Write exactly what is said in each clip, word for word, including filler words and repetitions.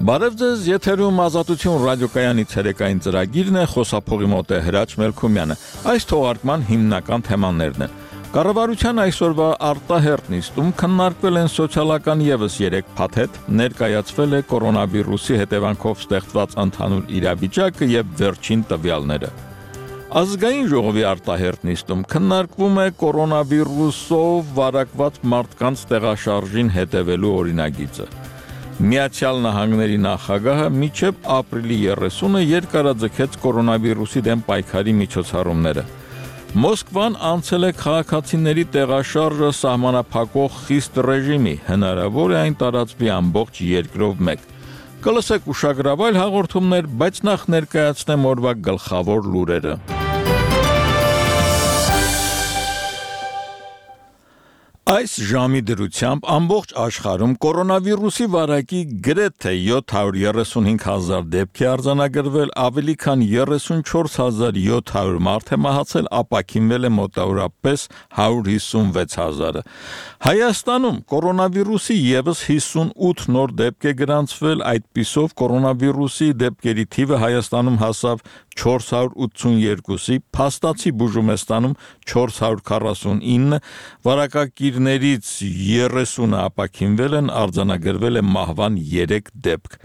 Բարև ձեզ, եթերում Ազատություն ռադիոկայանի ցերեկային ծրագիրն է, խոսափողի մոտ է Հրաչ Մելքումյանը։ Այս թողարկման հիմնական թեմաներն են. Կառավարության այսօրվա արտահերթ նիստում քննարկվել են սոցիալական ևս երեք փաթեթ, ներկայացվել է կորոնավիրուսի հետևանքով ստեղծված ընդհանուր իրավիճակը եւ վերջին տվյալները։ Ազգային ժողովի արտահերթ նիստում քննարկվում է կորոնավիրուսով վարակված մարդկանց տեղաշարժին հետևելու օրինագիծը։ Միացյալ Նահանգների նախագահը մինչև ապրիլի երեսունը երկարաձգեց կորոնավիրուսի դեմ պայքարի միջոցառումները։ Մոսկվան անցել է քաղաքացիների տեղաշարժը սահմանափակող խիստ ռեժիմի, հնարավոր է այն տարածվի ամբողջ երկրով մեկ։ Կլսեք ուշագրավայր հաղորդումներ, բայց նախ ներկայացնեմ օրվա գլխավոր լուրերը։ Այս ժամի դրությամբ ամբողջ աշխարհում կորոնավիրուսի վարակի գրեթե յոթ հարյուր երեսունհինգ հազար դեպք է արձանագրվել, ավելի քան երեսունչորս հազար յոթ հարյուր մարդ է մահացել, ապաքինվել է մոտավորապես հարյուր հիսունվեց հազարը։ Հայաստանում կորոնավիրուսի ևս հիսունութ նոր դեպք է գրանցվել, այդպիսով կորոնավիրուսի դեպքերի թիվը Հայաստանում հասավ չորս հարյուր ութսունյոթի, Փաստացի Բուժումեստանում չորս հարյուր քառասունինը, վարակագիրներից երեսունը ապաքինվել են, արձանագրվել է մահվան երեք դեպք։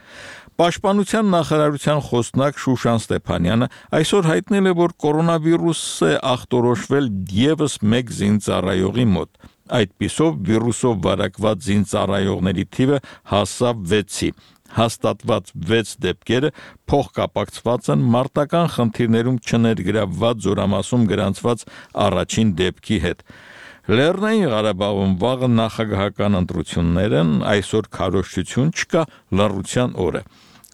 Պաշտպանության նախարարության խոսնակ Շուշան Ստեփանյանը այսօր հայտնել է, որ կորոնավիրուս է ախտորոշվել ևս մեկ զինծառայողի մոտ։ Այդպիսով վիրուսով վարակված զինծառայողների թիվը հասավ վեցի։ Հաստատված վեց դեպքերը փոխկապակցված են մարտական խնդիրներում չներգրավված Զորամասում գրանցված առաջին դեպքի հետ։ Լեռնային Ղարաբաղում վաղը նախագահական ընտրություններ են, այսօր քարոզչություն չկա, լռության օր է։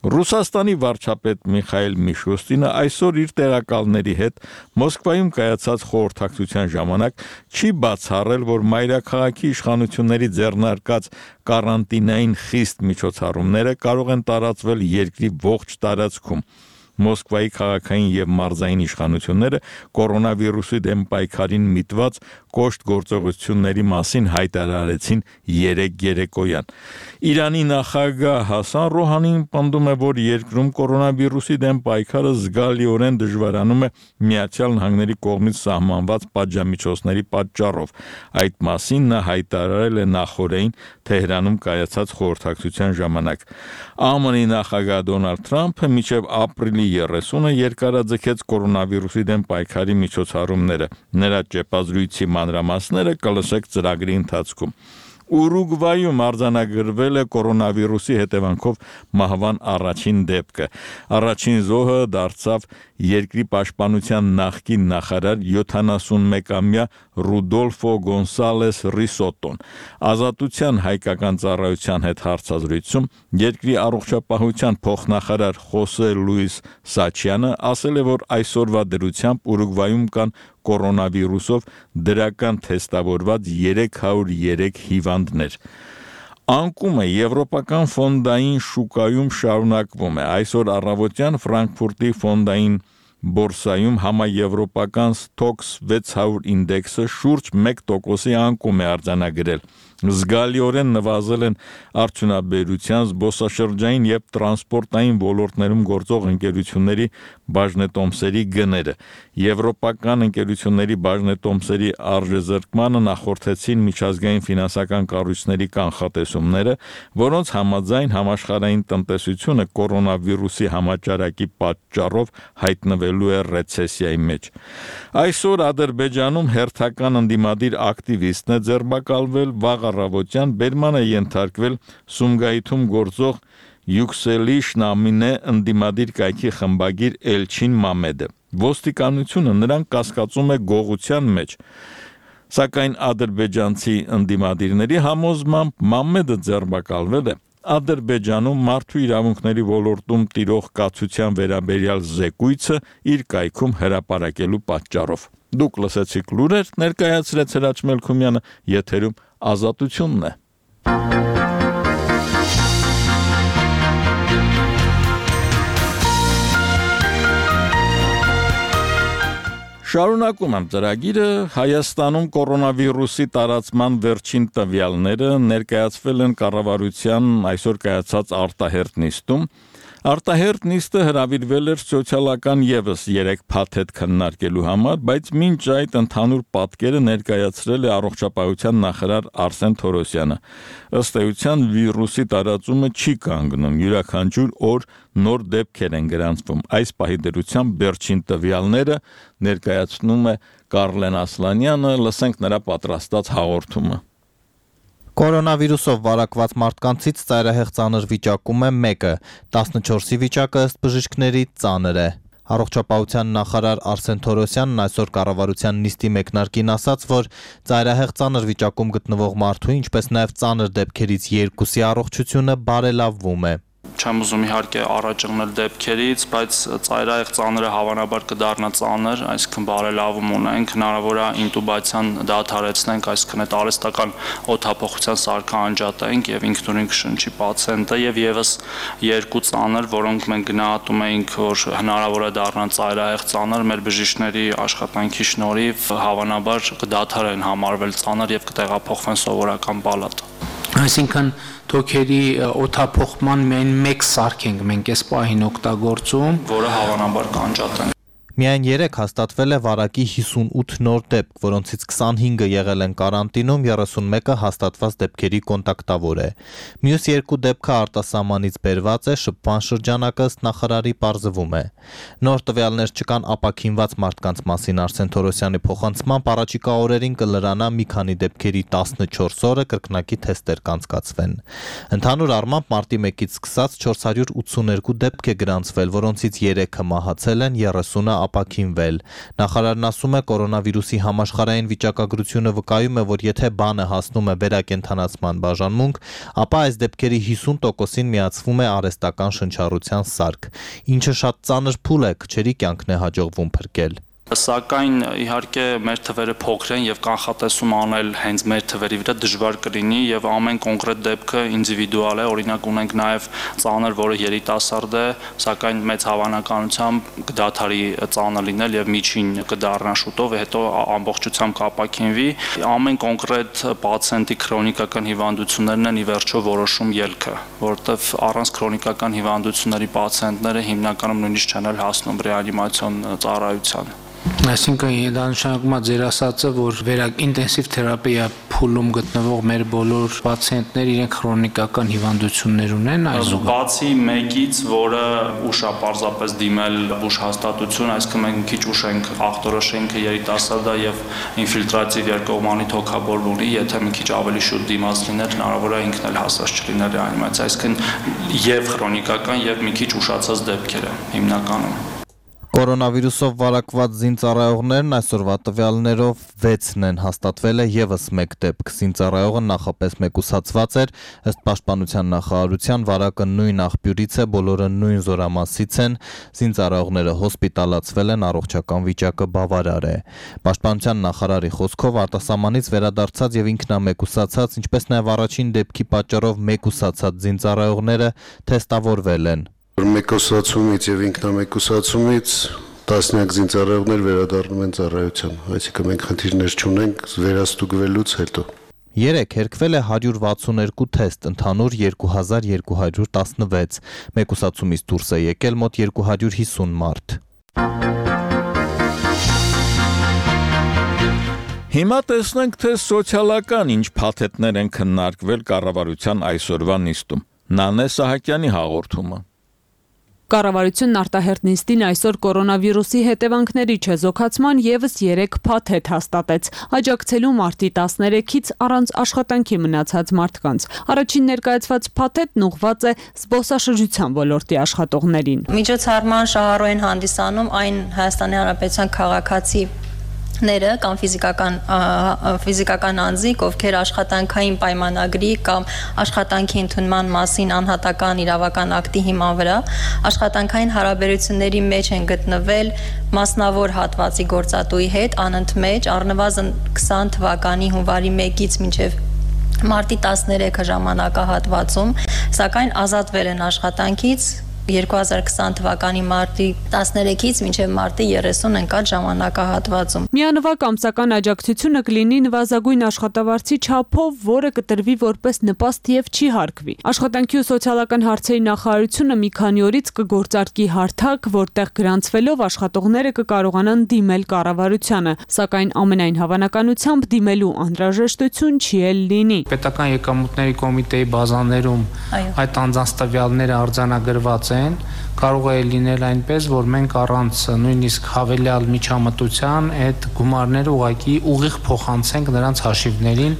Ռուսաստանի վարչապետ Միխայել Միշուստինը այսօր իր տեղակալների հետ Մոսկվայում կայացած խորհրդակցության ժամանակ չի բացառել, որ մայրաքաղաքի իշխանությունների ձեռնարկած կարանտինային խիստ միջոցառումները կարող են տարածվել երկրի ողջ տարածքում։ Մոսկվայի քաղաքային եւ մարզային իշխանությունները կորոնավիրուսի դեմ պայքարին միտված կոշտ գործողությունների մասին հայտարարեցին երեկ երեկոյան։ Իրանի նախագահ Հասան Ռոհանին պնդում է, որ երկրում կորոնավիրուսի դեմ պայքարը զգալիորեն դժվարանում է Միացյալ Նահանգների կողմից սահմանված պատժամիջոցների պատճառով։ Այդ մասին նա հայտարարել է նախօրեին Թեհրանում կայացած խորհրդակցության ժամանակ։ ԱՄՆ-ի նախագահ Դոնալդ Թրամփը մինչև ապրիլի երեսունը երկարաձգեց կորոնավիրուսի դեմ պայքարի միջոցառումները։ Նրա ճեպազրույցի մանրամասները կլսեք ծրագրի ընթացքում։ Ուրուգվայում արձանագրվել է կորոնավիրուսի հետևանքով մահվան առաջին դեպքը։ Առաջին զոհը դարձավ երկրի պաշտպանության նախկին նախարար յոթանասունմեկամյա Ռուդոլֆո Գոնսալես Ռիսոտոն։ Ազատության հայկական ծառայության հետ հարցազրույցում երկրի առողջապահության փոխնախարար Խոսե Լուիս Սաչյանը ասել է, որ այսօրվա դրությամբ Ուրուգվայում կան կորոնավիրուսով դրական թեստավորված երեք հարյուր երեք հիվանդներ։ Անկումը եվրոպական ֆոնդային շուկայում շարունակվում է։ Այսօր առավոտյան Ֆրանկֆուրտի ֆոնդային բորսայում համաեվրոպական Stoxx վեց հարյուր ինդեքսը շուրջ մեկ տոկոսի անկում է արձանագրել։ Զգալիորեն նվազել են արդյունաբերության, զբոսաշրջային եւ տրանսպորտային ոլորտներում գործող ընկերությունների բաժնետոմսերի գները։ Եվրոպական ընկերությունների բաժնետոմսերի արժեզրկմանը նախորդեցին միջազգային ֆինանսական կառույցների կանխատեսումները, որոնց համաձայն համաշխարհային տնտեսությունը կորոնավիրուսի համաճարակի պատճառով հայտնվելու է ռեցեսիայի մեջ։ Այսօր Ադրբեջանում հերթական ընդդիմադիր ակտիվիստն է ձերբակալվել, վաղ առավոտյան բերման է ենթարկվել Սումգայիթում գործող Յուքսելի Շնամինե ընդդիմադիր կայքի խմբագիր Էլչին Մամեդը։ Ոստիկանությունը նրան կասկածում է գողության մեջ։ Սակայն ադրբեջանցի ընդդիմադիրների համոզմամբ Մամեդը ձերբակալվել է Ադրբեջանում մարդու իրավունքների ոլորտում տիրող կացության վերաբերյալ զեկույցը իր կայքում հրապարակելու պատճառով։ Դուք լսեցիք լուրեր, ներկայացրեց Հրաչ Մելքումյանը, եթերում Ազատությունն է։ Շարունակում եմ ծրագիրը Հայաստանում կորոնավիրուսի տարածման վերջին տվյալները ներկայացվել են կառավարության այսօր կայացած արտահերթ նիստում։ Արտահերթ նիստը հրավիրվել էր սոցիալական եւս երեք փաթեթ քննարկելու համար, բայց մինչ այդ ընդհանուր պատկերը ներկայացրել է առողջապահության նախարար Արսեն Թորոսյանը։ Ըստ էության վիրուսի տարածումը չի կանգնում, յուրաքանչյուր օր նոր դեպքեր են գրանցվում։ Այս պահի դրությամբ վերջին տվյալները ներկայացնում է Կարլեն Ասլանյանը, լսենք նրա պատրաստած հաղորդումը։ Կորոնավիրուսով վարակված մարդկանցից ծայրահեղ ծանր վիճակում է մեկը, տասնչորսի վիճակը ըստ բժիշկների ծանր է։ Առողջապահության նախարար Արսեն Թորոսյանն այսօր կառավարության նիստի մեկնարկին ասաց, որ ծայրահեղ ծանր վիճակում գտնվող մարդու, ինչպես նաև ծանր դեպքերից երկուսի առողջությունը բարելավվում է։ Չեմ ուզում իհարկե առաջ եղնել դեպքերից, բայց ծայրահեղ ծանրը հավանաբար կդառնա ծանր, այսինքն բարելավում ունենք, հնարավոր է ինտուբացիան դադարեցնենք, այսինքն այդ արհեստական օդափոխության սարքը անջատենք եւ ինքնուրույն կշնչի պացիենտը եւ եւս երկու ծանր, որոնք մենք գնահատում էինք, որ հնարավոր է դառնան ծայրահեղ ծանր, մեր բժիշկների աշխատանքի շնորհիվ հավանաբար կդադարեն համարվել ծանր եւ կտեղափոխվեն սովորական պալատ։ Այսինքն թոքերի օդափոխման միայն մեկ սարք ենք մենք այս պահին օգտագործում, որը հավանաբար կանջատենք։ Միայն երեք հաստատվել է վարակի հիսունութ նոր դեպք, որոնցից քսանհինգը եղել են կարանտինում, երեսունմեկը հաստատված դեպքերի կոնտակտավոր է։ Մյուս երկու դեպքը արտասահմանից բերված է, շփման շրջանակը ըստ նախարարի պարզվում է։ Նոր տվյալներ չկան ապաքինված մարդկանց մասին Արսեն Թորոսյանի փոխանցմամբ առաջիկա օրերին կլրանա մի քանի դեպքերի տասնչորս օրը կրկնակի թեստեր կանցկացվեն։ Ընդհանուր առմամբ մարտի մեկից սկսած չորս հարյուր ութսուներկու դեպք է գրանցվել, որոնցից երեքը մահացել են, երեսունը ապաքինվել։ Նախարարն ասում է, կորոնավիրուսի համաշխարհային վիճակագրությունը վկայում է, որ եթե բանը հասնում է վերակենդանացման բաժանմունք, ապա այս դեպքերի հիսուն տոկոսին միացվում է արհեստական շնչառության սարք, ինչը շատ ծանր փուլ է, քչերի կյանքն է հաջողվում փրկել։ Սակայն իհարկե մեր թվերը փոքր են եւ կանխատեսում անել հենց մեր թվերի վրա դժվար կլինի եւ ամեն կոնկրետ դեպքը ինդիվիդուալ է, օրինակ ունենք նաեւ ծանր, որը երիտասարդ է, սակայն մեծ հավանականությամբ կդադարի ծանր լինել եւ միջին կդառնա շուտով, հետո ամբողջությամբ կապակինվի։ Ամեն կոնկրետ պացիենտի քրոնիկական հիվանդություններն են ի վերջո որոշում ելքը, որովհետեւ առանց քրոնիկական հիվանդությունների պացիենտները հիմնականում նույնիսկ չեն հասնում ռեանիմացիոն ծառայության։ Այսինքն դա նշանակում է ձեր ասածը, որ վերակ ինտենսիվ թերապիա փուլում գտնվող մեր բոլոր պացիենտները իրենք քրոնիկական հիվանդություններ ունեն այսօր։ Բացի մեկից, որը ուշ է պարզապես դիմել ուշ հաստատություն, այսինքն մենք քիչ ուշ ենք ախտորոշենք երիտասարդ է եւ ինֆիլտրատիվ երկկողմանի թոքաբոր ունի, եթե մի քիչ ավելի շուտ դիմաց լիներ, հնարավոր է ինքն էլ հասած չլիներ ռեանիմացիա, այսինքն եւ քրոնիկական եւ մի քիչ ուշացած դեպքերը հիմնականում։ Կորոնավիրուսով վարակված զինծառայողներն այսօրվա տվյալներով վեցն են, հաստատվել է եւս մեկ դեպք։ Զինծառայողը նախապես մեկուսացված էր, ըստ պաշտպանության նախարարության վարակը նույն աղբյուրից է, բոլորը նույն զորամասից են, զինծառայողները հոսպիտալացվել են, առողջական վիճակը բավարար է։ Պաշտպանության նախարարի խոսքով արտասահմանից վերադարձած եւ ինքնամեկուսացած, ինչպես նաեւ առաջին դեպքի պատճառով մեկուսացած զինծառայողները թեստավորվել են։ Մեկուսացումից եւ ինքնամեկուսացումից տասնյակ զինծառայողներ վերադառնում են ծառայության, այսինքն մենք խնդիրներ չունենք վերաստուգվելուց հետո։ Երեք հերկվել է հարյուր վաթսուներկու թեստ, ընդհանուր երկու հազար երկու հարյուր տասնվեց, մեկուսացումից դուրս է եկել մոտ երկու հարյուր հիսուն մարդ։ Հիմա տեսնենք, թե սոցիալական ինչ փաթեթներ են քննարկվել կառավարության այսօրվա նիստում։ Նանե Սահակյանի հաղորդումը։ Կառավարությունն արտահերթ նիստին այսօր կորոնավիրուսի հետևանքների չեզոքացման եւս երեք փաթեթ հաստատեց, աջակցելու մարտի տասներեքից առանց աշխատանքի մնացած մարդկանց։ Առաջին ներկայացված փաթեթն ուղղված է զբոսաշրջության ոլորտի աշխատողներին։ Միջոցառման շահառուեն հանդիսանում այն Հայաստանի Հանրապետության քաղաքացի ները կամ ֆիզիկական ֆիզիկական անձիկ, ովքեր աշխատանքային պայմանագրի կամ աշխատանքի ընդունման մասին անհատական իրավական ակտի հիման վրա աշխատանքային հարաբերությունների մեջ են գտնվել մասնավոր հատվածի գործատուի հետ անընդմեջ առնվազն քսան թվականի հունվարի մեկից մինչև մարտի տասներեքը ժամանակահատվածում, սակայն ազատվել են աշխատանքից երկու հազար քսան թվականի մարտի տասներեքից մինչև մարտի երեսուն ընկած ժամանակահատվածում։ Միանվագ ամսական աջակցությունը կլինի նվազագույն աշխատավարձի չափով, որը կտրվի որպես նպաստ եւ չի հարկվի։ Աշխատանքի ու սոցիալական հարցերի նախարարությունը մի քանի օրից կգործարկի հարթակ, որտեղ գրանցվելով աշխատողները կկարողանան դիմել կառավարությանը, սակայն ամենայն հավանականությամբ դիմելու անհրաժեշտություն չի էլ լինի։ Պետական եկամուտների կոմիտեի բազաներում այդ անձանց տվյալները արձանագրված են, կարող է լինել այնպես, որ մենք առանց նույնիսկ հավելյալ միջամտության այդ գումարները ուղղակի ուղիղ փոխանցենք նրանց հաշիվներին,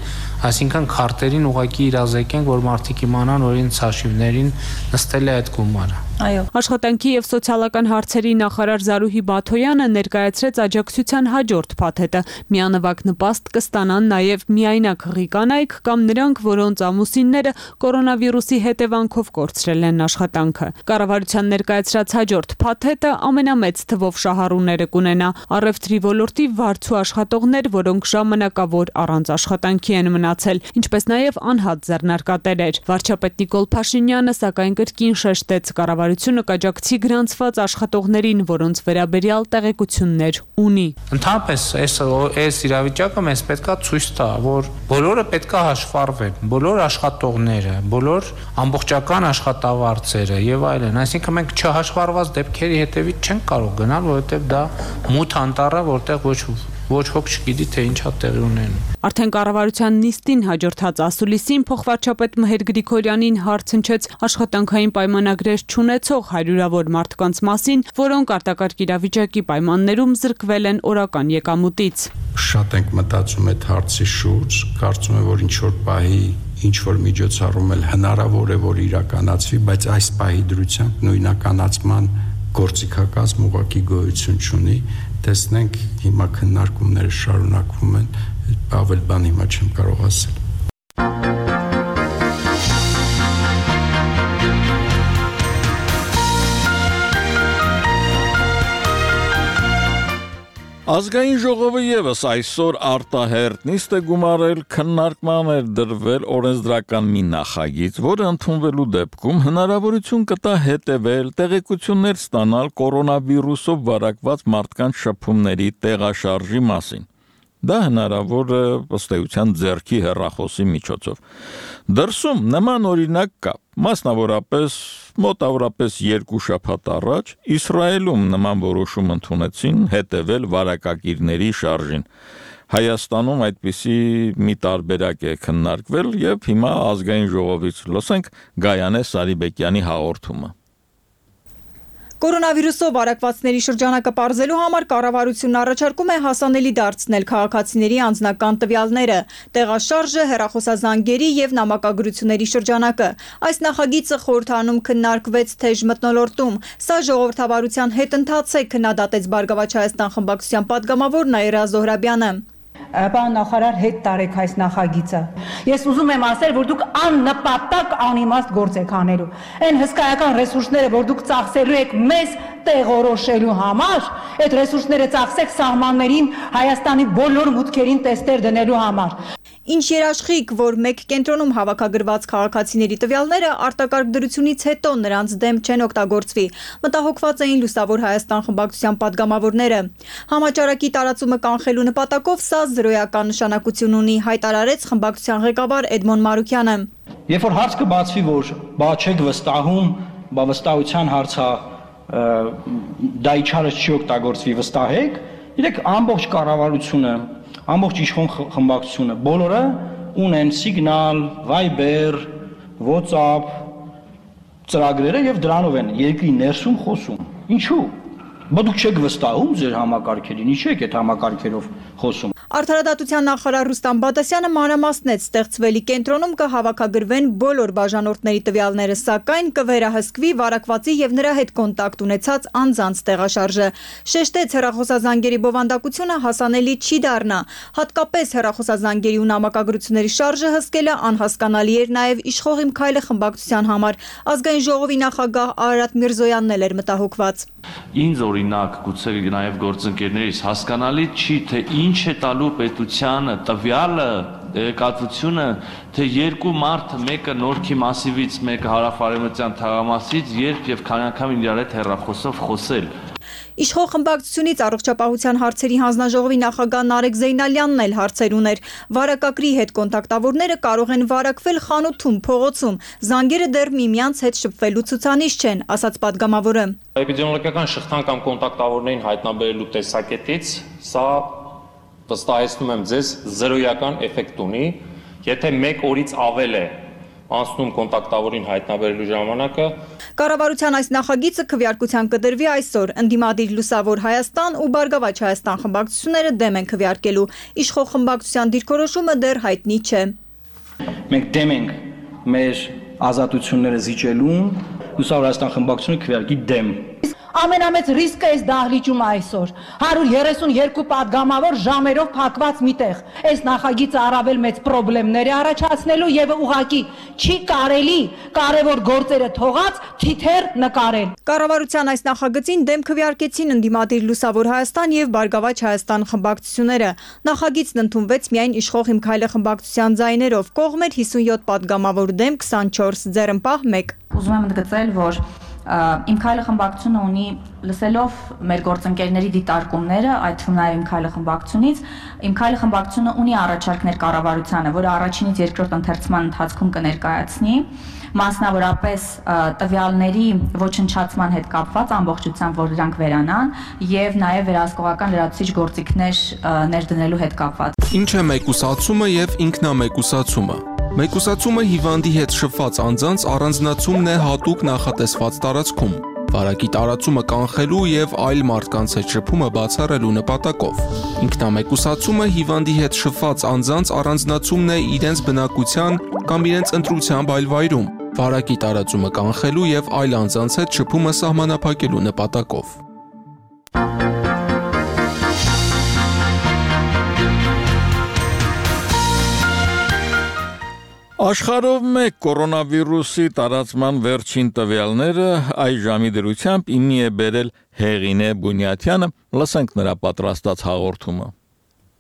այսինքն քարտերին ուղղակի իրազեկենք, որ մարդիկ իմանան, որ իրենց հաշիվներին նստել է այդ գումարը։ Այո։ Աշխատանքի եւ սոցիալական հարցերի նախարար Զարուհի Բաթոյանը ներկայացրեց աջակցության հաջորդ փաթեթը։ Միանվագ նպաստ կստանան նաեւ միայնակ հղի կանայք կամ նրանք, որոնց ամուսինները կորոնավիրուսի հետևանքով կորցրել են աշխատանքը։ Կառավարության ներկայացրած հաջորդ փաթեթը ամենամեծ թվով շահառուները կունենա առևտրի ոլորտի վարձու աշխատողներ, որոնք ժամանակավոր առանց աշխատանքի են մնացել, ինչպես նաեւ անհատ ձեռնարկատերեր։ Վարչապետ Նիկոլ Փաշինյանը սակայն կրկին շեշտեց կառավարությունը կաջակցի գրանցված աշխատողներին, որոնց վերաբերյալ տեղեկություններ ունի։ Ընդհանրապես այս այս իրավիճակը մեզ պետքա ցույց տա, որ բոլորը պետքա հաշվառվեն, բոլոր աշխատողները, բոլոր ամբողջական աշխատավարձերը եւ այլն, այսինքն մենք չհաշվառված դեպքերի հետևից չենք կարող գնալ, որովհետեւ դա մութ անտառ է, որտեղ ոչ ոչ ոք չգիտի թե ինչա տեղի ունենում։ Արդեն կառավարության նիստին հաջորդած ասուլիսին փոխվարչապետ Մհեր Գրիգորյանին հարց հնչեց աշխատանքային պայմանագրեր չունեցող հարյուրավոր մարդկանց մասին, որոնք արտակարգ իրավիճակի պայմաններում զրկվել են օրական եկամուտից։ Շատ ենք մտածում այդ հարցի շուրջ, կարծում եմ, որ ինչ որ պահի ինչ որ միջոցառում էլ հնարավոր է որ իրականացվի, բայց այս պահի դրությամբ նույնականացման գործիքակազմ ուղղակի գոյություն չունի։ Տեսնենք հիմա քննարկումները շարունակվում են, ավել բան հիմա չեմ կարող ասել։ Ազգային ժողովը եւս այսօր արտահերտ նիստ է գումարել, քննարկման էր դրվել օրենսդրական մի նախագիծ, որը ընդունվելու դեպքում հնարավորություն կտա հետևել, տեղեկություններ ստանալ կորոնավիրուսով վարակված մարդկանց շփումների տեղաշարժի մասին։ Դա հնարավոր է ըստ էության ձեռքի հեռախոսի միջոցով։ Դրսում նման օրինակ կա, մասնավորապես մոտավորապես երկու շաբաթ առաջ Իսրայելում նման որոշում ընդունեցին հետևել վարակագիրների շարժին։ Հայաստանում այդպիսի մի տարբերակ է քննարկվել եւ հիմա ազգային ժողովից լսենք Գայանե Սարիբեկյանի հաղորդումը։ Կորոնավիրուսով վարակվածների շրջանակը պարզելու համար կառավարությունն առաջարկում է հասանելի դարձնել քաղաքացիների անձնական տվյալները, տեղաշարժը, հեռախոսազանգերի եւ նամակագրությունների շրջանակը։ Այս նախագիծը խորհրդանում քննարկվեց թեժ մթնոլորտում։ Սա ժողովրդավարության հետընթաց է, քննադատեց Բարգավաճ Հայաստան խմբակցության падգամավոր Նաիրա Զոհրաբյանը։ Պարոն նախարար, հետ տարեք այս նախագիծը։ Ես ուզում եմ ասել, որ դուք աննպատակ անիմաստ գործ եք անելու։ Այն հսկայական ռեսուրսները, որ դուք ծախսելու եք մեզ տեղորոշելու համար, այդ ռեսուրսները ծախսեք սահմաններին Հայաստանի բոլոր մուտքերին տեստեր դնելու համար։ Ինչ երաշխիք, որ մեկ կենտրոնում հավաքագրված քաղաքացիների տվյալները արտակարգ դրությունից հետո նրանց դեմ չեն օգտագործվի, մտահոգված էին Լուսավոր Հայաստան խմբակցության падգամավորները։ Համաճարակի տարածումը կանխելու նպատակով սա զրոյական նշանակություն ունի, հայտարարեց խմբակցության ղեկավար Էդմոն Մարուքյանը։ Երբ որ հարց կբացվի, որ բա չեք վստահում, բա վստահության հարցը դա իչարը չի օգտագործվի, վստահեք, իրեք ամբողջ կառավարությունը ամբողջ իշխող խմբակցությունը բոլորը ունեն Signal, Viber, WhatsApp ծրագրերը եւ դրանով են երկրի ներսում խոսում։ Ինչու՞։ Բա դուք չեք վստահում ձեր համակարգերին, ինչու եք այդ համակարգերով խոսում։ Արդարադատության նախարար Ռուստամ Բադասյանը մանրամասնեց, ստեղծվելի կենտրոնում կհավաքագրվեն բոլոր բաժանորդների տվյալները, սակայն կվերահսկվի վարակվածի եւ նրա հետ կոնտակտ ունեցած անձանց տեղաշարժը։ Շեշտեց, հեռախոսազանգերի բովանդակությունը հասանելի չի դառնա։ Հատկապես հեռախոսազանգերի ու նամակագրությունների շարժը հսկելը անհասկանալի էր նաեւ Իշխող իմ քայլը խմբակցության համար։ Ազգային ժողովի նախագահ Արարատ Միրզոյանն էլ էր մտահոգված։ Ինձ օրինակ, գուցե նաև գործընկերներից հասկանալի չի, թե ինչ է տալու պետությանը տվյալը կատվությունը, թե երկու մարդ, մեկը Նորքի մասիվից, մեկը հարավ-արևմտյան թաղամասից, երբ եւ քանի անգամ իրար հետ հեռախոսով խոսել։ Իշխող խմբակցությունից առողջապահության հարցերի հանձնաժողովի նախագահ Նարեկ Զեյնալյանն էլ հարցեր ուներ։ Վարակագրի հետ կոնտակտավորները կարող են վարակվել խանութում, փողոցում, զանգերը դեռ միմյանց հետ շփվելու ցուցանիշ չեն, ասաց պատգամավորը։ Էպիդեմիոլոգիական շղթան կամ կոնտակտավորներին հայտնաբերելու տեսակետից սա վստահեցնում եմ ձեզ զրոյական էֆեկտ ունի, եթե մեկ օրից ավել է անցնում կոնտակտավորին հայտնաբերելու ժամանակը։ Կառավարության այս նախագիծը քվեարկության կդրվի այսօր։ Ընդդիմադիր Լուսավոր Հայաստան ու Բարգավաճ Հայաստան խմբակցությունները դեմ են քվեարկելու։ Իշխող խմբակցության դիրքորոշումը դեռ հայտնի չէ։ Մենք դեմ ենք մեր ազատությունները զիջելուն, Լուսավոր Հայաստան խմբակցությունը քվեարկի դեմ։ Ամենամեծ ռիսկը էս դահլիճում այսօր հարյուր երեսուն երկու պատգամավոր ժամերով փակված միտեղ։ Այս նախագիծը առավել մեծ խնդիրներ է առաջացնելու եւ ուղղակի չի կարելի կարևոր գործերը թողած թիթեր նկարել։ Կառավարության այս նախագծին դեմ քվեարկեցին ընդդիմադիր Լուսավոր Հայաստան եւ Բարգավաճ Հայաստան խմբակցությունները։ Նախագիծն ընդունվեց միայն իշխող Իմ քայլը խմբակցության ձայներով, կողմեր հիսունյոթ պատգամավոր դեմ քսանչորս, ձեռնպահ մեկ։ Ուզում եմ ընդգծել, որ Իմ քայլը խմբակցությունը ունի լսելով մեր գործընկերների դիտարկումները, այդ թվում նաև Իմ քայլը խմբակցությունից, Իմ քայլը խմբակցությունը ունի առաջարկներ կառավարությանը, որը առաջինից երկրորդ ընթերցման ընթացքում կներկայացնի, մասնավորապես տվյալների ոչնչացման հետ կապված ամբողջությամբ, որ դրանք վերանան, եւ նաև վերահսկողական լրացուցիչ գործիքներ ներդնելու հետ կապված։ Ինչ է մեկուսացումը եւ ինքնամեկուսացումը։ Մեկուսացումը հիվանդի հետ շփված անձանց առանձնացումն է հատուկ նախատեսված տարածքում, վարակի տարածումը կանխելու եւ այլ մարդկանց հետ շփումը բացառելու նպատակով։ Ինքնամեկուսացումը հիվանդի հետ շփված անձանց առանձնացումն է իրենց բնակության կամ իրենց ընտրությամբ այլ վայրում, վարակի տարածումը կանխելու եւ այլ անձանց հետ շփումը սահմանափակելու նպատակով։ Աշխարհով մեկ կորոնավիրուսի տարածման վերջին տվյալները այս ժամի դրությամբ իմի է բերել Հեղինե Բունյաթյանը, լսենք նրա պատրաստած հաղորդումը։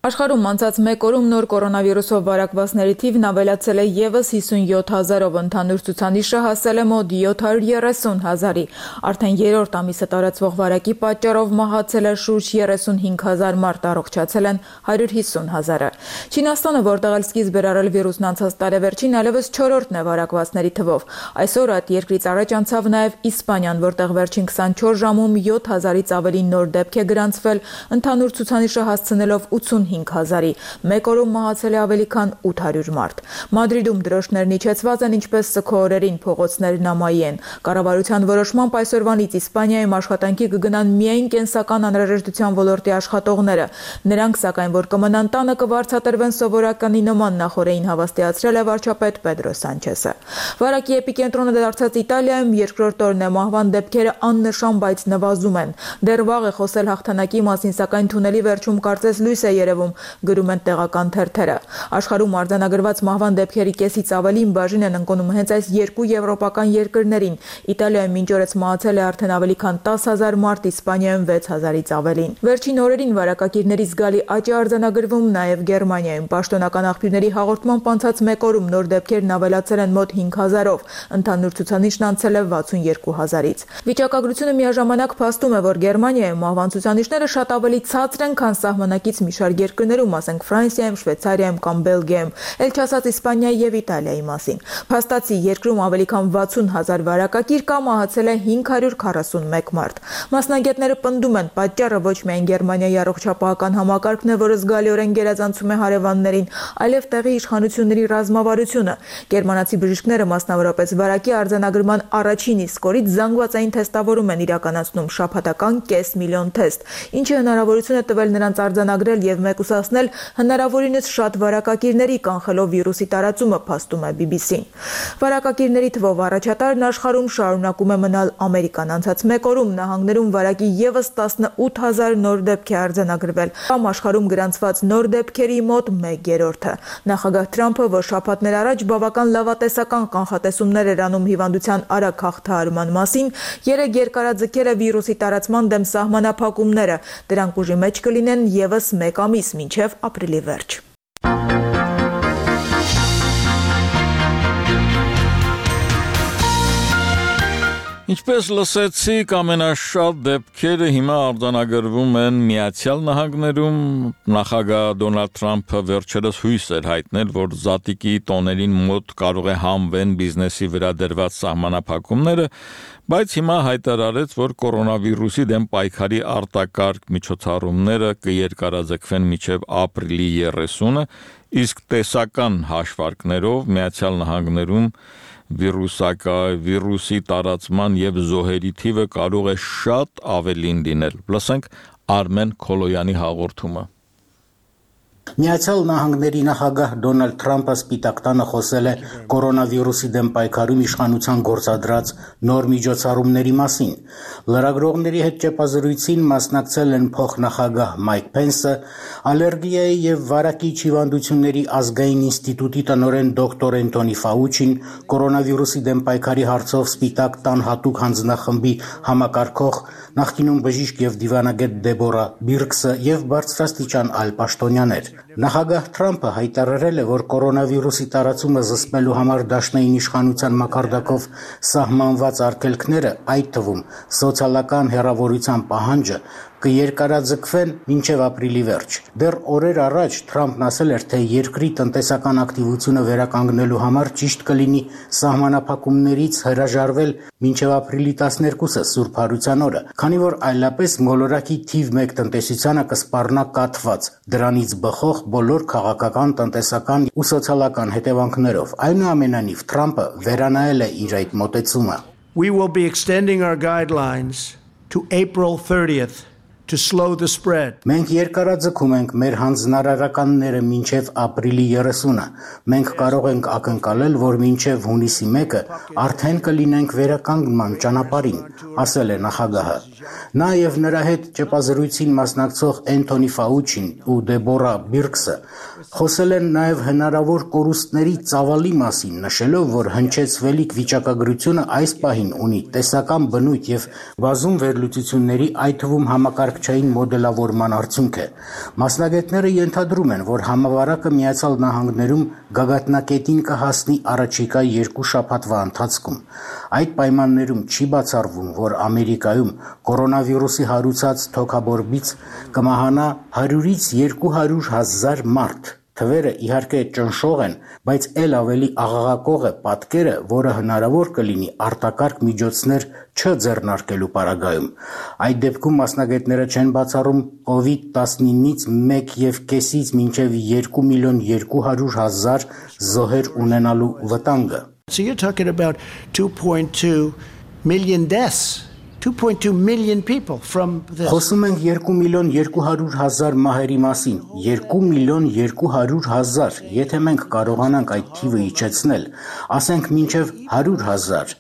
Աշխարհում անցած մեկ օրում նոր կորոնավիրուսով վարակվածների թիվն ավելացել է եւս հիսունյոթ հազարով, ընդհանուր ցուցանիշը հասել է մոտ յոթ հարյուր երեսուն հազարի։ Արդեն երրորդ ամիսը տարածվող վարակի պատճառով մահացել է շուրջ երեսունհինգ հազար մարդ, առողջացել են հարյուր հիսուն հազարը։ Չինաստանը, որտեղ էլ սկիզբ էր առել վիրուսն անցած տարեվերջին, այլևս չորրորդն է վարակվածների թվով։ Այսօր այդ երկրից առաջ անցավ նաեւ Իսպանիան, որտեղ վերջին քսանչորս ժամում յոթ հազարից ավելի նոր դեպք է գրանցվել, ընդհանուր ցուցանիշը հասցնելով ութսունհինգ հազարի, մեկ օրում մահացել է ավելի քան ութ հարյուր մարդ։ Մադրիդում դրոշներն իջեցված են, ինչպես սգո օրերին, փողոցներն ամայի են։ Կառավարության որոշմամբ այսօրվանից Իսպանիայում աշխատանքի կգնան միայն կենսական անհրաժեշտության ոլորտի աշխատողները։ Նրանք, սակայն, որ կմնան տանը, կվարձատրվեն սովորականի նման, նախորդին հավաստիացրել է վարչապետ Պեդրո Սանչեսը։ Վարակի էպիկենտրոնը դարձած Իտալիայում երկրորդ օրն է, մահվան դեպքերը աննշան, բայց նվազում են։ Դեռ վաղ է խոսել հաղթանակի մասին, սակայն թունելի վերջում կարծես լույս է երևում, գրում են տեղական թերթերը։ Աշխարհում արձանագրված մահվան դեպքերի կեսից ավելին բաժին են ընկնում հենց այս երկու եվրոպական երկրներին։ Իտալիայում մինչ օրս մահացել է արդեն ավելի քան տասը հազար մարդ, Իսպանիայում վեց հազարից ավելին։ Վերջին օրերին վարակակիրների զգալի աճ է արձանագրվում նաև Գերմանիայում։ Պաշտոնական աղբյուրների հաղորդմամբ անցած մեկ օրում նոր դեպքերն ավելացել են մոտ հինգ հազարով, ընդհանուր ցուցանիշն անցել է վաթսունյոթ հազարից։ Վիճակագրությունը միաժամանակ փաստում է, որ Գերմանիայում մահվան ցուցանիշները շատ ավելի ցածր են, քան սահմանակից մի շարք երկրներում, ասենք Ֆրանսիայում, Շվեյցարիայում կամ Բելգիայում, ել չասած Իսպանիայի եւ Իտալիայի մասին։ Փաստացի երկրում ավելի քան վաթսուն հազար վարակակիր կա, մահացել է հինգ հարյուր քառասունմեկ մարդ։ Մասնագետները պնդում են, պատճառը ոչ միայն Գերմանիայի առողջապահական համակարգն է, որը զգալիորեն գերազանցում է հարևաններին, այլև տեղի իշխանությունների ռազմավարությունը։ Գերմանացի բժիշկները մասնավորապես վարակի արձանագրման առաջին իսկ օրից զանգվածային թեստավորում են իրականացնում, շաբաթական կես միլիոն թեստ, ինչը հնարավորություն է տվել նրանց արձանագրել եւ մեկուսացնել հնարավորինս շատ վարակակիրների, կանխելով վիրուսի տարածումը, փաստում է բի բի սին։ Վարակակիրների թվով առաջատարն աշխարհում շարունակում է մնալ Ամերիկան։ Անցած մեկ օրում նահանգներում վարակի եւս տասնութ հազար նոր դեպք է արձանագրվել, կամ աշխարհում գրանցված նոր դեպքերի մոտ մեկ երրորդը։ Նախագահ Թրամփը, որ շաբաթներ առաջ բավական լավատեսական կանխատեսումներ էր անում հիվանդության արագ հաղթահարման մասին, երեկ երկարաձգել է վիրուսի տարածման դեմ սահմանափակումները։ Դրանք ուժի մեջ կլինեն եւս մեկ ամիս, մինչև ապրիլի վերջ։ Ինչպես լսեցիք, ամենաշատ դեպքերը հիմա արձանագրվում են Միացյալ Նահանգներում։ Նախագահ Դոնալդ Թրամփը վերջերս հույս էր հայտնել, որ զատիկի տոներին մոտ կարող է համվեն բիզնեսի վրա դրված սահմանափակումները, բայց հիմա հայտարարեց, որ կորոնավիրուսի դեմ պայքարի արտակարգ միջոցառումները կերկարաձգվեն մինչև ապրիլի երեսունը, իսկ տեսական հաշվարկներով Միացյալ Նահանգներում վիրուսակա վիրուսի տարածման եւ զոհերի թիվը կարող է շատ ավելին լինել։ Լսենք Արմեն Քոլոյանի հաղորդումը։ Միացյալ Նահանգների նախագահ Դոնալդ Թրամփը Սպիտակ տանը խոսել է կորոնավիրուսի դեմ պայքարում իշխանության գործադրած նոր միջոցառումների մասին։ Լրագրողների հետ ճեպազրույցին մասնակցել են փոխնախագահ Մայք Փենսը, Ալերգիայի եւ վարակիչ հիվանդությունների ազգային ինստիտուտի տնօրեն դոկտոր Էնթոնի Ֆաուչին, կորոնավիրուսի դեմ պայքարի հարցով Սպիտակ տան հատուկ հանձնախմբի համակարգող, նախկինում բժիշկ եւ դիվանագետ Դեբորա Բիրքսը եւ բարձրաստիճան այլ պաշտոնյաներ։ Նախագահ Թրամփը հայտարարել է, որ կորոնավիրուսի տարածումը զսպելու համար դաշնային իշխանության մակարդակով սահմանված արգելքները, այդ թվում սոցիալական հեռավորության պահանջը, կերկարաձգվեն մինչև ապրիլի վերջ։ Դեռ օրեր առաջ Թրամփն ասել էր, թե երկրի տնտեսական ակտիվությունը վերականգնելու համար ճիշտ կլինի սահմանափակումներից հրաժարվել մինչև ապրիլի տասներկուսը Սուրբ Հարության օրը, քանի որ այլապես մոլորակի թիվ մեկ տնտեսությանը կսպառնա կաթված, դրանից բխող բոլոր քաղաքական, տնտեսական ու սոցիալական հետևանքներով։ Այնուամենայնիվ Թրամփը վերանայել է իր այդ մոտեցումը։ We will be extending our guidelines to April thirtieth. To slow the spread. Մենք երկարաձգում ենք մեր հանձնարարականները մինչև ապրիլի երեսունը։ Մենք կարող ենք ակնկալել, որ մինչև հունիսի մեկը արդեն կլինենք վերականգնման ճանապարհին, ասել է նախագահը։ Նա եւ նրա հետ ճեպազրույցին մասնակցող Էնթոնի Ֆաուչին ու Դեբորա Բիրքսը խոսել են նաեւ հնարավոր կորուստների ծավալի մասին, նշելով, որ հնչեցվելիք վիճակագրությունը այս պահին ունի տեսական բնույթ եւ բազում վերլուծությունների, այդ թվում համակարգչային մոդելավորման արդյունք է։ Մասնագետները ենթադրում են, որ համավարակը Միացյալ Նահանգներում գագաթնակետին կհասնի առաջիկա երկու շաբաթվա ընթացքում։ Այդ պայմաններում չի բացառվում, որ Ամերիկայում կորոնավիրուսի հարուցած թոքաբորբից կմահանա հարյուրից երկու հարյուր հազար մարդ։ Թվերը իհարկե ճնշող են, բայց ել ավելի աղաղակող է պատկերը, որը հնարավոր կլինի արտակարգ միջոցներ չձեռնարկելու պարագայում։ Այդ դեպքում մասնագետները չեն բացառում կովիդ տասնինից մեկ եւ կեսից մինչեւ երկու միլիոն երկու հարյուր հազար զոհեր ունենալու վտանգը։ So you're talking about two point two million deaths. two point two million people from this. Խոսում ենք երկու միլիոն երկու հարյուր հազար մահերի մասին, երկու միլիոն երկու հարյուր հազար, եթե մենք կարողանանք այդ թիվը իջեցնել, ասենք մինչև հարյուր հազար,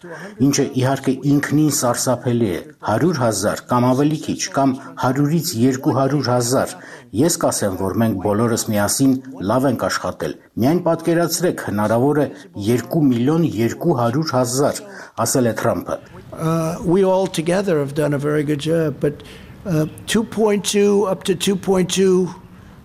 ինչը իհարկե ինքնին սարսափելի է, հարյուր հազար կամ ավելի քիչ, կամ հարյուրից երկու հարյուր հազար, ես կասեմ, որ մենք բոլորս միասին լավ ենք աշխատել, միայն պատկերացրեք, հնարավոր է երկու միլիոն երկու հարյուր հազար, ասել է Թրամփը։ Uh, we all together have done a very good job, but uh, two point two up to two point two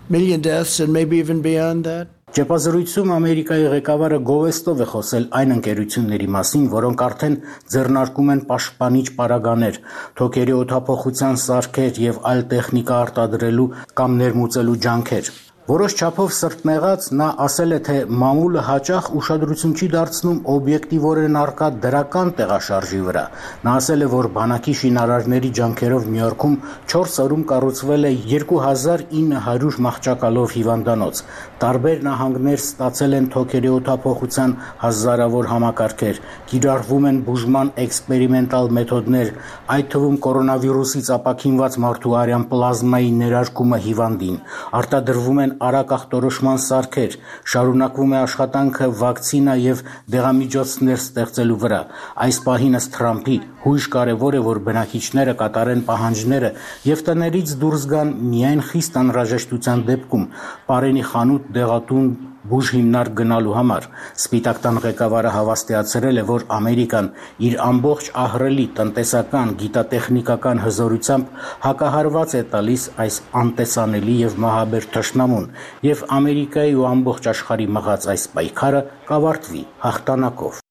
million deaths and maybe even beyond that. Ճեպազրույցում Ամերիկայի ղեկավարը գովեստով է խոսել այն ընկերությունների մասին, որոնք արդեն ձեռնարկում են պաշտպանիչ պարագաներ, թոքերի օդափոխության սարքեր եւ այլ տեխնիկա արտադրելու կամ ներմուծելու ջանքեր։ Որոշ չափով սրտնեղած նա ասել է, թե մամուլը հաճախ ուշադրություն չի դարձնում օբյեկտիվորեն առկա դրական տեղաշարժի վրա։ Նա ասել է, որ բանակի շինարարների ջանքերով Նյու Յորքում չորս օրում կառուցվել է երկու հազար ինը հարյուր մահճակալով հիվանդանոց։ Տարբեր նահանգներ ստացել են թոքերի օդափոխության հազարավոր համակարգեր, կիրառվում են բուժման էքսպերիմենտալ մեթոդներ, այդ թվում կորոնավիրուսից ապաքինված մարդու արյան պլազմայի ներարկումը հիվանդին, արտադրվում են արագ ախտորոշման սարքեր, շարունակվում է աշխատանքը վակցինա եւ դեղամիջոցներ ստեղծելու վրա։ Այս պահին ըստ Թրամփի հույժ կարևոր է, որ բնակիչները կատարեն պահանջները եւ տներից դուրս գան միայն խիստ անհրաժեշտության դեպքում, պարենի խանութ, դեղատուն, բուժ հիմնարկ գնալու համար։ Սպիտակ տան ղեկավարը հավաստիացրել է, որ Ամերիկան իր ամբողջ ահռելի տնտեսական, գիտատեխնիկական հզորությամբ հակահարված է տալիս այս անտեսանելի եւ մահաբեր թշնամուն, եւ Ամերիկայի ու ամբողջ աշխարհի մղած այս պայքարը կավարտվի հաղթանակով։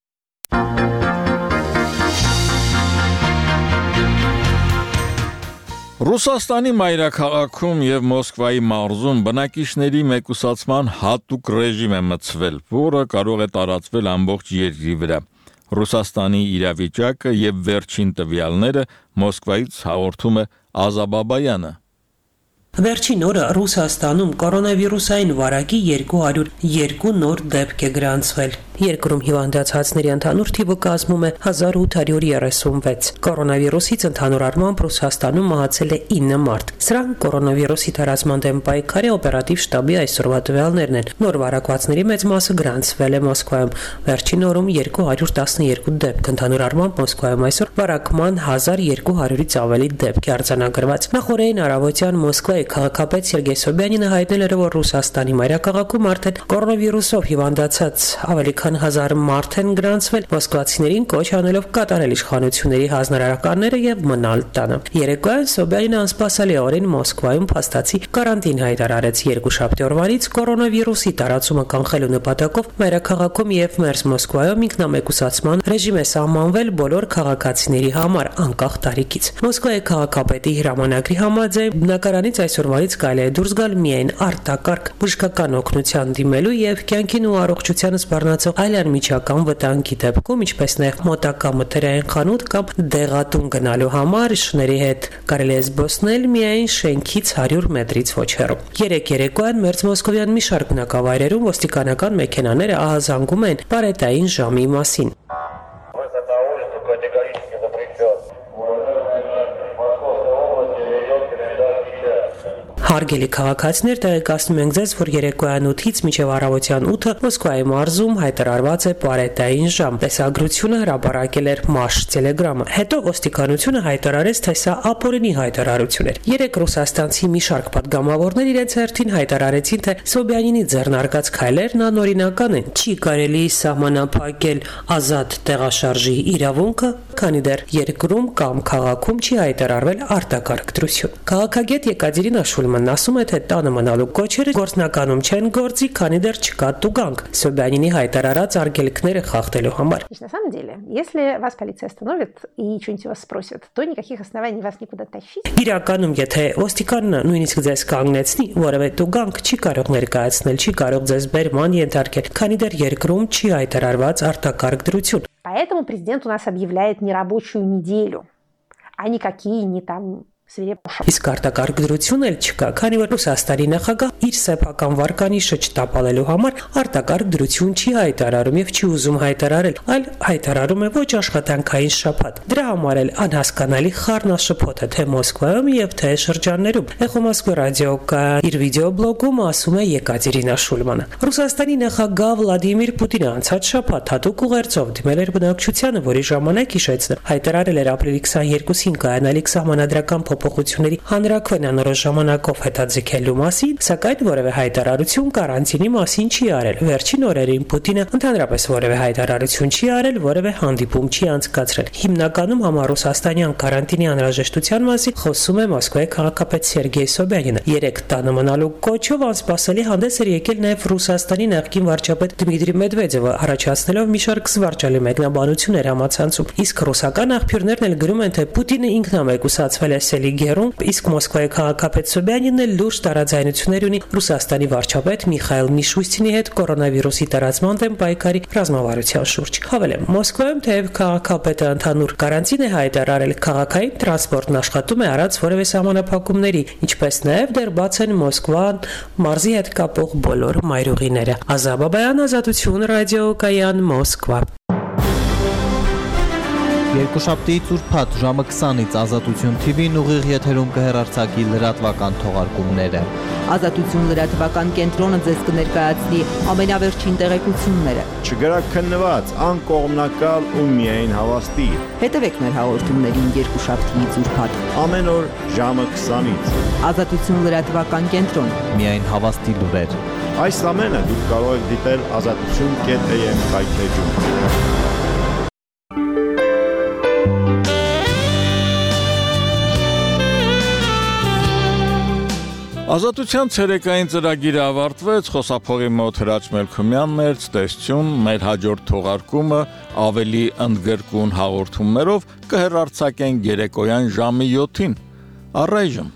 Ռուսաստանի մայրաքաղաքում եւ Մոսկվայի մարզում բնակիչների մեկուսացման հատուկ ռեժիմ է մտցվել, որը կարող է տարածվել ամբողջ երկրի վրա։ Ռուսաստանի իրավիճակը եւ վերջին տվյալները Մոսկվայից հաղորդում է Ազաբաբայանը։ Վերջին օրը Ռուսաստանում կորոնավիրուսային վարակի երկու հարյուր երկու նոր դեպք է գրանցվել։ Երկրում հիվանդացածների ընդհանուր թիվը կազմում է հազար ութ հարյուր երեսունվեց։ Կորոնավիրուսից ընդհանուր առմամբ Ռուսաստանում մահացել է ինը մարդ։ Սրանք կորոնավիրուսի տարածման դեմ պայքարի օպերատիվ շտաբի այսօրվա տվյալներն են։ Նոր վարակվածների մեծ մասը գրանցվել է Մոսկվայում։ Վերջին օրում երկու հարյուր տասներկու դեպք, ընդհանուր առմամբ Մոսկվայում այսօր վարակման հազար երկու հարյուրից ավելի դեպք է արձանագրված։ Նախորդին առավոտյան Մոսկվայի քաղաքապետ Սերգեյ Սոբյանինը հայտնել էր, որ Ռուսաստանի մայրաքաղաքում արդեն կորոնավիրուսով հիվանդացած ավելի քան հազար մարդ են գրանցվել, մոսկվացիներին կոչ անելով կատարել իշխանությունների հանրարարականները եւ մնալ տանը։ Երեկոյան Սոբյանինը անսպասելիորեն Մոսկվայում փաստացի կարանտին հայտարարեց երկուշաբթի օրվանից կորոնավիրուսի տարածումը կանխելու նպատակով մայրաքաղաքում եւ Մերձ Մոսկվայում ինքնամեկուսացման ռեժիմ է սահմանվել բոլոր քաղաքացիների համար անկախ տարիքից։ Մոսկվայի քաղաքապետի հրամանագրի համաձայն բնակարանից այսօրվանից կարելի է դուրս գալ միայն արտակարգ բժշկական օգնության դիմելու եւ կյանքին ու առողջությանը սպառնացող այլ անմիջական վտանգի դեպքում, ինչպես նաեւ մոտակա մթերային խանութ կամ դեղատուն գնալու համար շների հետ կարելի է զբոսնել միայն շենքից հարյուր մետրից ոչ հեռու։ Երեք երեկոյան Մերձ Մոսկովյան մի շարք բնակավայրերում ոստիկանական մեքենաները ահազանգում են բարետային ժամի մասին։ Հարգելի քաղաքացիներ, տեղեկացնում ենք ձեզ, որ երեկոյան ութից մինչև առավոտյան ութը Մոսկվայի մարզում հայտարարված է պարետային ժամ։ Տեսագրությունը հրապարակել էր Մաշ Տելեգրամը։ Հետո ոստիկանությունը հայտարարեց, թե սա ապօրինի հայտարարություն էր։ Երեք ռուսաստանցի մի շարք պատգամավորներ իրենց հերթին հայտարարեցին, թե Սոբյանինի ձեռնարկած քայլերն անօրինական են։ Չի կարելի սահմանափակել ազատ տեղաշարժի իրավունքը, քանի դեռ երկրում կամ քաղաքում չի հայտարարվել արտակարգ դրություն։ Քաղաքագետ Եկատերինա Շուլմանն ասում է, թե տանը մնալու կոչերը գործնականում չեն գործի, քանի դեռ չկա տուգանք Սոբյանինի հայտարարած արգելքները խախտելու համար։ На самом деле, если вас полиция остановит и что-нибудь вас спросит, то никаких оснований вас никуда тащить. Իրականում, եթե ոստիկանը նույնիսկ ձեզ կանգնեցնի, որևէ տուգանք չի կարող ներկայացնել, չի կարող ձեզ բերման ենթարկել, քանի դեռ երկրում չի հայտարարված արտակարգ դրություն։ Поэтому президент у нас объявляет нерабочую неделю, а никакие не там Իսկ արտակարգ դրություն էլ չկա, քանի որ Ռուսաստանի նախագահ իր սեփական վարկանիշը չտապալելու համար արտակարգ դրություն չի հայտարարում եւ չի ուզում հայտարարել, այլ հայտարարում է ոչ աշխատանքային շաբաթ։ Դրա համար էլ անհասկանալի խառնաշփոթ է թե Մոսկվայում եւ թե շրջաններում։ Էխո Մոսկվա ռադիոկա իր վիդեոբլոգում ասում է Եկատերինա Շուլմանը։ Ռուսաստանի նախագահ Վլադիմիր Պուտինը անցած շաբաթ հատուկ ուղերձով դիմել էր բնակչությանը, որի ժամանակ հիշեցնը հայտարարել էր ապրիլի քսաներկուսին կայանալիք սահմանադրական փոփոխությունների հանրաքվեն անորոշ ժամանակով հետաձգելու մասին, սակայն որևէ հայտարարություն կարանտինի մասին չի արել։ Վերջին օրերին Պուտինը ընդհանրապես որևէ հայտարարություն չի արել, որևէ հանդիպում չի անցկացրել։ Հիմնականում համառուսաստանյան կարանտինի անհրաժեշտության մասին խոսում է Մոսկվայի քաղաքապետ Սերգեյ Սոբյանինը։ Երեք տանը մնալու կոչով անսպասելի հանդես էր եկել նաև Ռուսաստանի նախկին վարչապետ Դմիտրի Մեդվեդևը, առաջացնելով մի շարք զվարճալի մեկնաբանություններ համացանցում։ Իսկ ռուսական աղբյուրներն էլ գրում են, թե Պուտինը ինքնամեկուսացվել է Սելիգերում, իսկ Մոսկվայի քաղաքապետ Սոբյանինը լուրջ տարաձայնություններ ունի Ռուսաստանի վարչապետ Միխայիլ Միշուստինի հետ կորոնավիրուսի տարածման դեմ պայքարի ռազմավարության շուրջ։ Հավելեմ, Մոսկվայում թեև քաղաքապետը ընդհանուր կարանտին է հայտարարել, քաղաքային տրանսպորտն աշխատում է առանց որևէ սահմանափակումների, ինչպես նաև դեռ բաց են Մոսկվան մարզի հետ կապող բոլոր մայրուղիները։ Ազաբաբայան, Ազատություն, ռադիոկայան, Մոսկվա։ Երկուշաբթիից ուրբաթ ժամը քսանից Ազատություն թի վին ուղիղ եթերում կհեռարձակի լրատվական թողարկումները։ Ազատություն լրատվական կենտրոնը ձեզ կներկայացնի ամենավերջին տեղեկությունները։ Չգրաքննված, անկողմնակալ ու միայն հավաստի։ Հետևեք մեր հաղորդումներին երկուշաբթիից ուրբաթ ամեն օր ժամը քսանից։ Ազատություն լրատվական կենտրոն։ Միայն հավաստի լուրեր։ Այս ամենը դուք կարող եք դիտել ազատություն կետ էյ էմ կայքեջում։ Ազատության ցերեկային ծրագիրը ավարտվեց, խոսափողի մոտ Հրաչ Մելքումյանն էր, ցտեսություն, մեր հաջորդ թողարկումը ավելի ընդգրկուն հաղորդումներով կհեռարձակենք երեկոյան ժամի յոթին։ Առայժմ